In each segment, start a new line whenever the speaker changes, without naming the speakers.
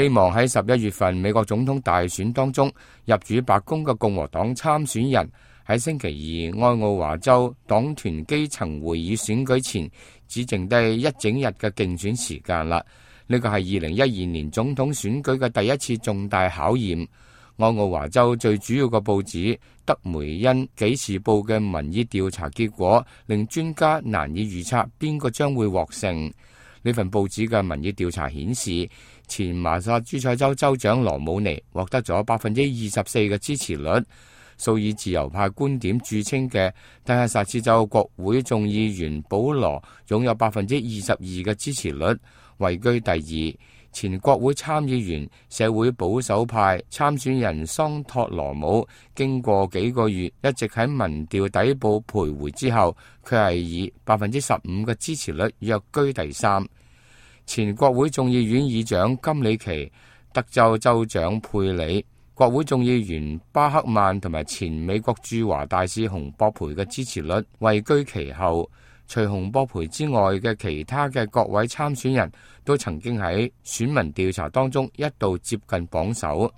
希望喺11月份美國總統大選當中入主白宮嘅共和黨參選人喺星期二愛奧華州黨團基層會議選舉前只剩低一整日嘅競選時間啦。呢個係2012年總統選舉嘅第一次重大考驗。愛奧華州最主要嘅報紙德梅恩紀事報嘅民意調查結果令專家難以預測邊個將會獲勝。呢份報紙嘅民意調查顯示，前麻薩諸塞州州長羅姆尼獲得咗24%嘅支持率。素以自由派觀點著稱嘅德克薩斯州國會眾議員保羅擁有22%嘅支持率，位居第二。前國會參議員社會保守派參選人桑托羅姆經過幾個月一直喺民調底部徘徊之後，佢係以15%嘅支持率躍居第三。前國會眾議院議長金里奇、德州州長佩里、國會眾議員巴克曼同埋前美國駐華大使洪博培嘅支持率位居其後。除洪博培之外嘅其他嘅各位參選人都曾經喺選民調查當中一度接近榜首。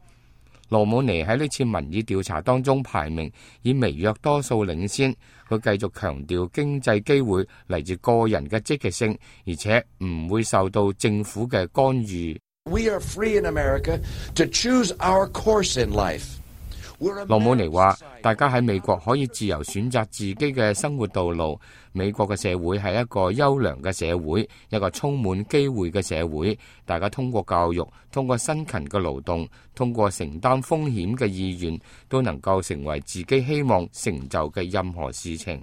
羅姆尼喺呢次民意調查當中排名以微弱多數領先，佢繼續強調經濟機會嚟自個人嘅積極性，而且唔會受到政府嘅干預。
We are free in America to choose our course in life.
羅姆尼話：大家喺美國可以自由選擇自己嘅生活道路。美國嘅社會係一個優良嘅社會，一個充滿機會嘅社會。大家通過教育，通過辛勤嘅勞動，通過承擔風險嘅意願，都能夠成為自己希望成就嘅任何事情。